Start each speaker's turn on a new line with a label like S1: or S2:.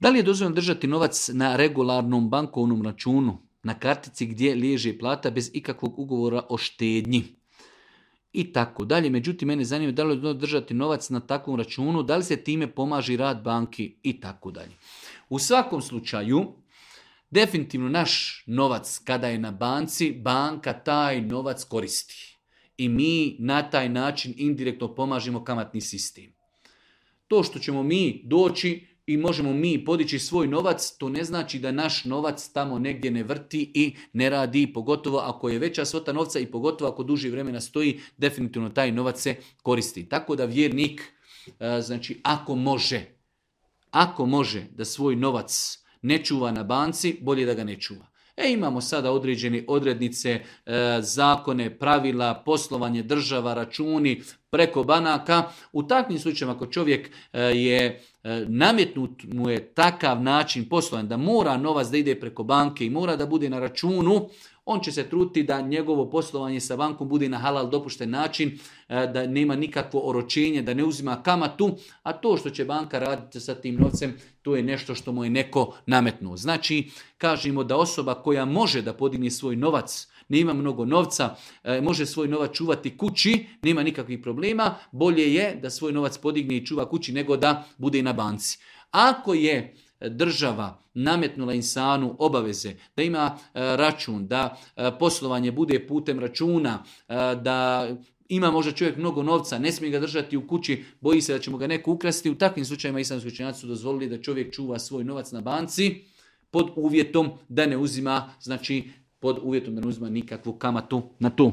S1: Da li je dozvoljeno držati novac na regularnom bankovnom računu, na kartici gdje liježe plata bez ikakvog ugovora o štednji? I tako dalje. Međutim, mene zanima da li je dozvoljeno držati novac na takvom računu, da li se time pomaže rad banki i tako dalje. U svakom slučaju, definitivno naš novac kada je na banci, banka taj novac koristi. I mi na taj način indirektno pomažemo kamatni sistem. To što ćemo mi doći i možemo mi podići svoj novac, to ne znači da naš novac tamo negdje ne vrti i ne radi, pogotovo ako je veća svota novca i pogotovo ako duži vremena stoji, definitivno taj novac se koristi. Tako da vjernik, znači ako može da svoj novac ne čuva na banci, bolje da ga ne čuva. Imamo sada određene odrednice, zakone, pravila, poslovanje država, računi preko banaka. U takvim slučajevima ako čovjek je nametnut mu je takav način poslovanja da mora novac da ide preko banke i mora da bude na računu, on će se truditi da njegovo poslovanje sa bankom bude na halal dopušten način, da nema nikakvo oročenje, da ne uzima kamatu, a to što će banka raditi sa tim novcem, to je nešto što mu je neko nametnuo. Znači, kažemo da osoba koja može da podigne svoj novac, nema mnogo novca, može svoj novac čuvati kući, nema nikakvih problema, bolje je da svoj novac podigne i čuva kući nego da bude na banci. Ako je država nametnula insanu obaveze da ima račun, da poslovanje bude putem računa, da ima možda čovjek mnogo novca, ne smije ga držati u kući, boji se da će mu ga neko ukrasti, u takvim slučajevima islamski učenjaci su dozvolili da čovjek čuva svoj novac na banci pod uvjetom da ne uzima, znači pod uvjetom da ne uzima nikakvu kamatu na to.